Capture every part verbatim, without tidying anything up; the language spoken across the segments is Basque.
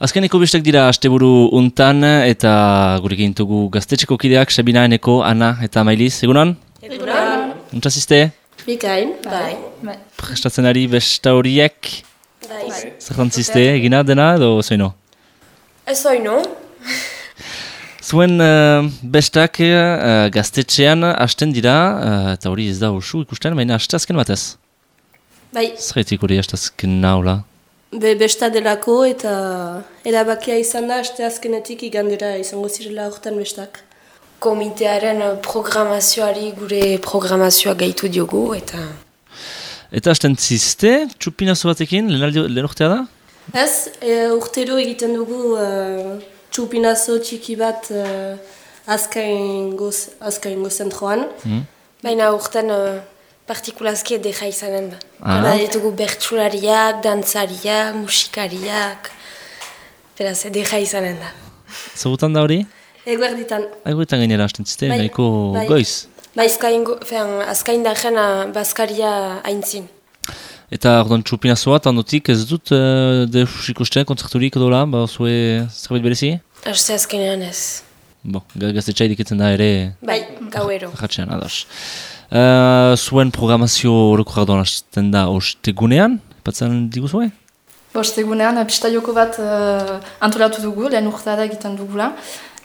Azkeneko bestak dira asteburu untan eta gurekin dugu gaztetxeko kideak Sabina, Eneko, Ana eta Mailiz. Egunon? Egunon. Untzazizte? Bikain, bai. bai. Prestatzen ari besta horiek? Bai. Zertantzizte, egina dena edo zoino? Ez zoino. Zuen uh, bestak uh, gaztetxean hasten dira, uh, eta hori ez da ursu ikusten, baina haste azken batez. Bai. Zerretik hori haste azken naula? Be besta delako eta erabakia izan da, haste azkenetik igandera izango zirela hortan bestak. Komitearen programazioari gure programazioa gaitu diogu eta... Eta hasten zizte, txupinazo batekin, lehen urtea da? Ez, e, urtero egiten dugu uh, txupinazo txiki bat uh, azkaingo, azkaingo zentroan. Mm. Baina urten uh, partikulazki edera izanen da. Ah. Hala ditugu bertsulariak, dantzariak, musikariak, beraz edera izanen da. Zagutan da hori? Eguerditan. Eguerditan gainera hasten zizte, Bai, nahiko bai. goiz. Bai, azkain da jena Baskaria haintzin. Eta orduan txupinazoa, eta ondotik ez dut uh, deus ikusten kontzerturik edo la, ba zue zerbait berezi? Haste azkenean ez. Bo, gaztetxa iriketzen da ere... Bai, gauero. Jatxean, ados. Uh, zuen programazio horreko jardoan hasten da ostegunean, patzen diguzue? Ostegunean, pista joko bat uh, antolatu dugu, lehen urtada egiten dugula.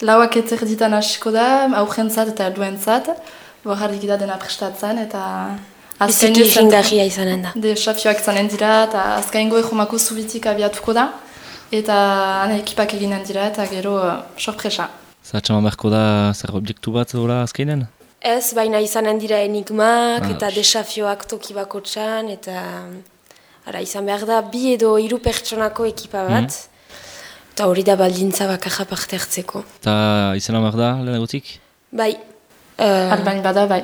Lauak eterditan hasiko da, aurrentzat eta helduentzat, borrarik da dena prestatzen, eta... Biziki jingarria izanen da. Desafioak izanen dira, eta azkaingo ejomako zubitik abiatuko da, eta ane ekipak eginen dira, eta gero uh, sorpresa. Zatxaman beharko da zer objektu bat hola azkainen? Ez, baina izanen dira enigmak, Ah, eta desafioak toki bakotxan, eta... Ara, izan behar da, bi edo hiru pertsonako ekipa bat, eta hori da baldintza bakarra parte hartzeko. Eta izena behar da lehenagotik? Bai. Uh, Albain bada, bai.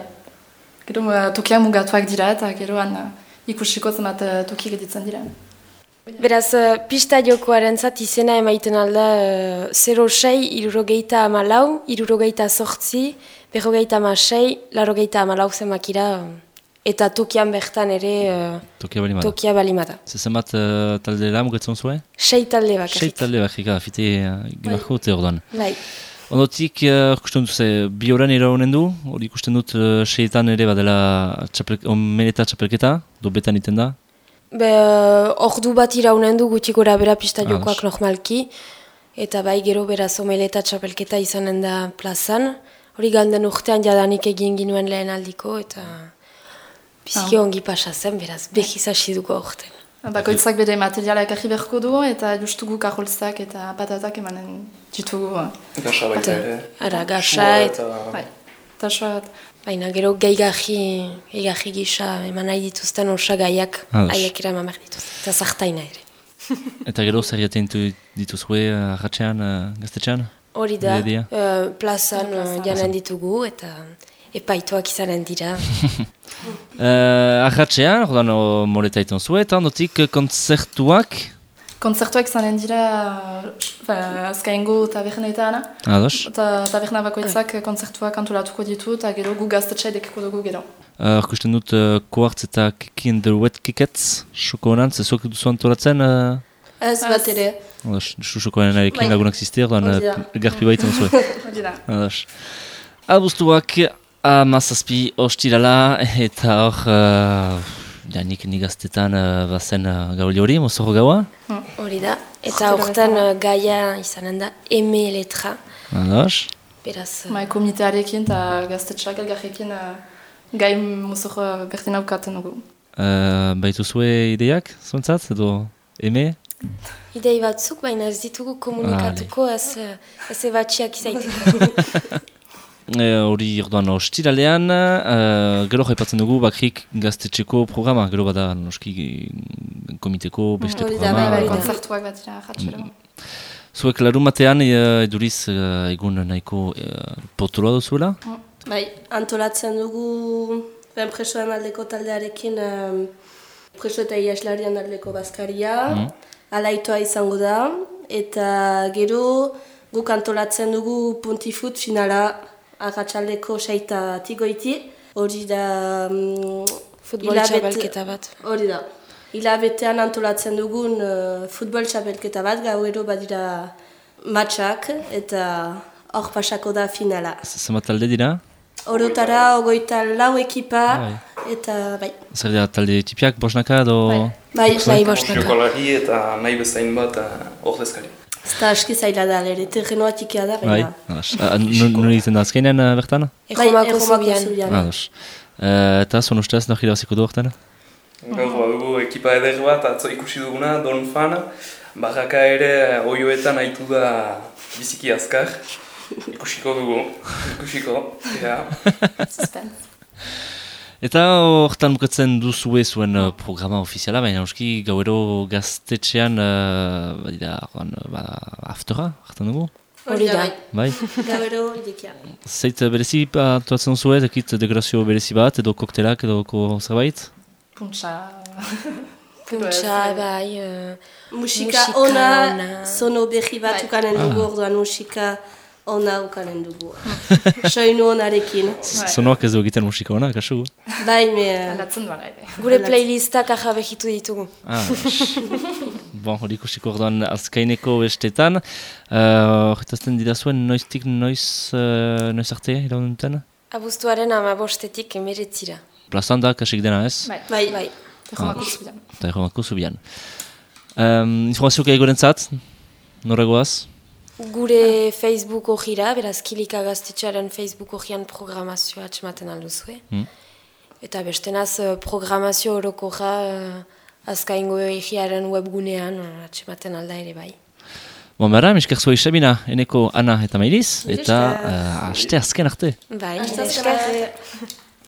Gero uh, tokiak mugatuak dira, eta geroan uh, ikusiko zemat uh, toki geditzen dira. Beraz, uh, pista jokoaren zat izena emaiten alda uh, zero sei, irurogeita amalau, irurogeita sortzi, berrogeita amasei, larogeita amalau zemakira, eta tokian bertan ere uh, Tokia balimada. tokia balimada. Zezen bat uh, talde da mugatzen zuen? Sei talde bakarrik. Sei talde bakarrik, fite uh, gimarko dute orduan. Bai. Ondotik, uh, ikusten dut, bi horan iraunen du, hori ikusten dut uh, seietan ere badela txapel, omeneta txapelketa, dobetan iten da. Be, ordu bat iraunen du gutik gora bera pista jokoak Ah, normalki, eta bai gero beraz omeleta txapelketa izanen da plazan. Hori galden urtean jadanik egin ginuen lehen aldiko, eta biziki ongi pasa zen, beraz behiz hasi dugu aurten. Bakoitzak bere materiala ekarri beharko du, eta justugu kaholtzak eta patatak emanen ditugu. Gasa baita ere. Ara, gasa, eta... Bai, eta soat. Baina gero gehigarri, gehigarri gisa eman nahi dituzten osagaiak Ados. haiek eraman behar dituzten, eta zartaina ere. Eta gero zer jaten dituzue arratxean, uh, gaztetxean? Hori da, Ideia? uh, plazan uh, janen ditugu, eta epaituak izanen dira. Uh, Arratxean, ordan moreta iten zue, eta ondotik uh, kontzertuak? Kontzertuak zanen dira uh, azkaingo tabernetan, Ados. eta taberna bakoitzak kontzertuak antolatuko ditu, eta gero gu gaztetxe dekiko dugu gero. Uh, Arkusten dut uh, koartz eta kekin the wet kiketz, xoko honan, zezuak duzu antolatzen? Uh, Ez bat ere. Ados, xuxokoaren arekin Bai. lagunak zizte, ordan Hori da. uh, garpi baiten zue. Hori da. Ados. Albuztuak amazazpi ostirala, eta hor, uh, janik nigaztetan uh, bazen uh, gauli hori, mozorro gaua. Hori da, eta hortan uh, gaia izanen da eme letra, Ados. beraz... uh, Bai, komitearekin eta gaztetxeak elgarrekin uh, gai muzor berdin aukaten dugu. Uh, baitu zue ideiak, zuentzat, edo eme? Idei batzuk, baina ez ditugu komunikatuko, ez, uh, ez ebatxiak izaiteko. Hori uh, orduan ostiralean, uh, gero jaipatzen dugu bakrik gaztetxeko programa, gero bada noski komiteko beste Hori da, programa. bai, Bai, bai, da. kontzertuak bat dira jatxero. Zuek larun batean uh, eduriz uh, egun nahiko uh, potoloa duzuela? Bai, antolatzen dugu ben presoen aldeko taldearekin um, preso eta iaslarien aldeko Baskaria, Mm. alaitoa izango da, eta gero guk antolatzen dugu puntifut finala arratsaldeko seita tigoiti, hori da... Um, Futbol txapelketa bat. Hori da. hilabetean antolatzen dugun uh, futbol txapelketa bat, gauero badira matxak eta hor pasako da finala. Zenbat talde dira? Orotara ogoita lau ekipa Bai. eta bai. Zer dira talde tipiak, bosnaka edo... Bai, bai, bai bostaka. Jokolari eta nahi bezain bat ordezkari. Ez da aski zaila da, lere, terrenoa tikia da, Bai, baina. ados. Ah, nun nun egiten da azkenean uh, bertan? Bai, Erromako Erromako zubian. zubian. Ados. Uh, eta zon ustez, nahi irabaziko du horretan? Gaur badugu ekipa eder bat, atzo ikusi duguna, Don Fan, barraka ere oioetan haitu da biziki azkar. Ikusiko dugu, ikusiko, ja. Suspense. Eta horretan bukatzen duzue zuen uh, programa ofiziala, baina euski gauero gaztetxean, uh, badira, orduan, uh, bada, aftera, hartan dugu? Hori da. Bai? Gauero irekia. Zeit uh, berezi atuatzen duzue, dekit dekorazio berezi bat, edo koktelak, edo ko zerbait? Puntxa... Puntxa, bai... Uh, Musika Musika ona, ona. sono berri bat Bai. ukanen dugu, orduan musika ona ukanen dugu. Soinu onarekin. Zonoak ez du egiten musika hona, kasu? Bai, me... Aldatzen duan, ere. gure playlistak ahabehitu ditugu. Ah, bon, hori ikusiko orduan azkaineko bestetan. Horretazten dira zuen noiztik noiz, uh, noiz arte, iraun duten? Abuztuaren amabostetik emeretzira. Plazan da, kasik dena ez? Bai, Bai, Bai. Erromako zubian. Eta erromako zubian. Um, informazioak egoren zat, noragoaz? Gure Facebook hojira, beraz Kilika Gaztetxearen Facebook hojian programazioa atxematen alduzue. Hmm. Eta bestenaz eh, programazio orokorra uh, azkaingo egiaren webgunean uh, atxematen alda ere bai. Bon, bera, miskak zua isabina, eneko Ana eta Mailiz, Mila eta esker. uh, aste azken arte. Bai, Aste esker. azken arte.